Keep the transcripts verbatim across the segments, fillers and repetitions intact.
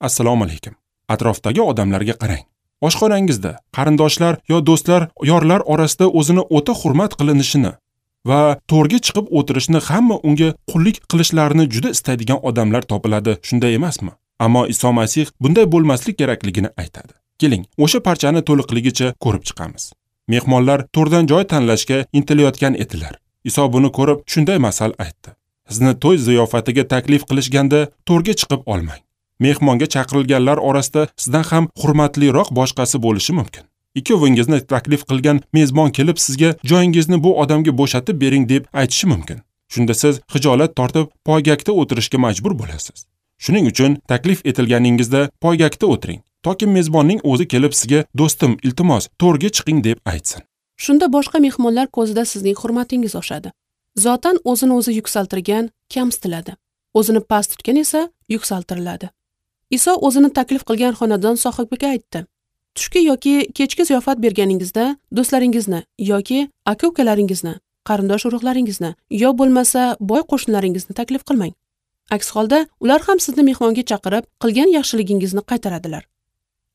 Assalomu alaykum. Atrofdagi odamlarga qarang. Oshxonangizda qarindoshlar yo do'stlar, yorlar orasida o'zini o'ta hurmat qilinishini va to'rga chiqib o'tirishni, hamma unga qullik qilishlarini juda istaydigan odamlar topiladi, shunday emasmi? Ammo Iso Masih bunday bo'lmaslik kerakligini aytadi. Keling, o'sha parchani to'liqligicha ko'rib chiqamiz. Mehmonlar to'rdan joy tanlashga intilayotgan edilar. Iso buni ko'rib shunday masal aytdi. Sizni to'y ziyofatiga taklif qilishganda to'rga chiqib olmang. Mehmonga chaqirilganlar orasida sizdan ham hurmatliroq boshqasi bo'lishi mumkin. Ikkovingizni taklif qilgan mezbon kelib sizga joyingizni bu odamga bo'shatib bering deb aytishi mumkin. Shunda siz xijolat tortib poygakda o'tirishga majbur bo'lasiz. Shuning uchun taklif etilganingizda poygakda o'tiring, toki mezbonning o'zi kelib sizga do'stim, iltimos, to'rga chiqing deb aytsin. Shunda boshqa mehmonlar ko'zida sizning hurmatingiz oshadi. Zotan o'zini o'zi yuksaltirgan kamsitiladi. O'zini past tutgan esa yuksaltiriladi. Iso o'zini taklif qilgan xonadon sohibiga aytdi: tushki yoki kechki ziyofat berganingizda do'stlaringizni yoki aka-ukalaringizni, qarindosh urug'laringizni yo bo'lmasa boy qo'shnilaringizni taklif qilmang. Aks holda ular ham sizni mehmonga chaqirib, qilgan yaxshiligingizni qaytaradilar.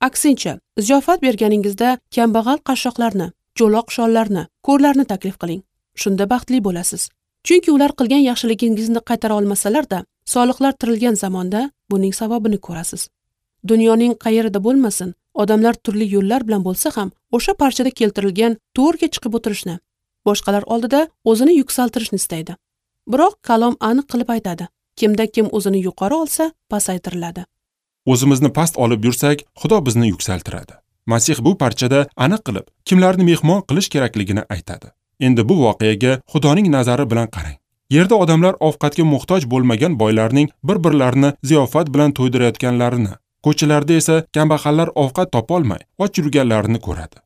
Aksincha, ziyofat berganingizda kambag'al qashshoqlarni, cho'loq shollarni, ko'rlarni taklif qiling. Shunda baxtli bo'lasiz. Chunki ular qilgan yaxshiligingizni qaytara olmasalar-da, soliqlar tirilgan zamonda buning savobini ko'rasiz. Dunyoning qayerida bo'lmasin, odamlar turli yo'llar bilan bo'lsa ham o'sha parchada keltirilgan to'rga chiqib o'tirishni, boshqalar oldida o'zini yuksaltirishni istaydi. Biroq kalom aniq qilib aytadi: kimda kim o'zini yuqori olsa, pasaytiriladi. O'zimizni past olib yursak, Xudo bizni yuksaltiradi. Masih bu parchada aniq qilib, kimlarni mehmon qilish kerakligini aytadi. Endi bu voqeaga Xudoning nazari bilan qarang. Yerda odamlar ovqatga muhtoj bo'lmagan boylarning bir-birlarini ziyofat bilan to'ydirayotganlarini, ko'chalarda esa kambag'allar ovqat topolmay och yurganlarini ko'radi.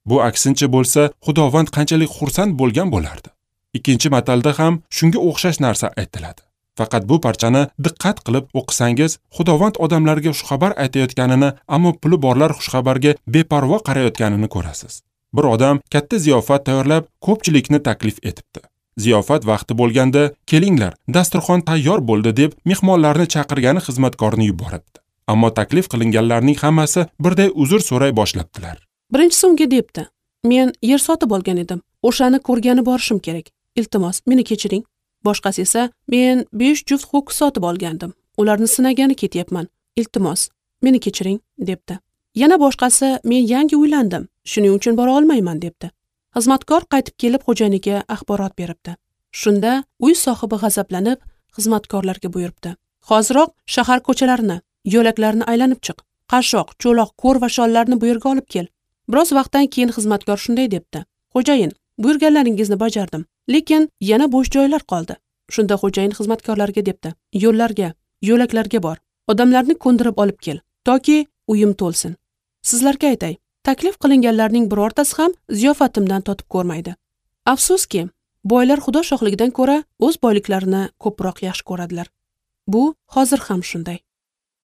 Bu aksincha bo'lsa, Xudovand qanchalik xursand bo'lgan bo'lardi. Ikkinchi matalda ham shunga o'xshash narsa aytiladi. Faqat bu parchani diqqat qilib o'qisangiz, Xudovand odamlarga xushxabar aytayotganini, ammo puli borlar xushxabarga beparvo qarayotganini ko'rasiz. Bir odam katta ziyofat tayyorlab, ko'pchilikni taklif etibdi. Ziyofat vaqti bo'lganda, kelinglar, dasturxon tayyor bo'ldi deb mehmonlarni chaqirgani xizmatkorni yuboribdi. Ammo taklif qilinganlarning hammasi birday uzr so'ray boshlabdilar. Birinchisi unga debdi: men yer sotib olgan edim, o'shani ko'rgani borishim kerak. Iltimos, meni kechiring. Boshqasi esa: men besh juft ho'kiz sotib olgandim, ularni sinagani ketyapman. Iltimos, meni kechiring, debdi. Yana boshqasi: men yangi uylandim, shuning uchun bora olmayman, debdi. Xizmatkor qaytib kelib xo'jayiniga axborot beribdi. Shunda uy sohibi g'azablanib xizmatkorlarga buyuribdi: hoziroq shahar ko'chalarini, yo'laklarni aylanib chiq. Qashshoq, cho'loq, ko'r va shollarni bu yerga olib kel. Biroz vaqtdan keyin xizmatkor shunday debdi: xo'jayin, buyurganlaringizni bajardim, lekin yana bo'sh joylar qoldi. Shunda xo'jayin xizmatkorlarga debdi: yo'llarga, yo'laklarga bor, odamlarni ko'ndirib olib kel, toki uyim to'lsin. Sizlarga aytay, taklif qilinganlarning birortasi ham ziyofatimdan totib ko'rmaydi. Afsuski, boylar Xudo shohligidan ko'ra o'z boyliklarini ko'proq yaxshi ko'radilar. Bu hozir ham shunday.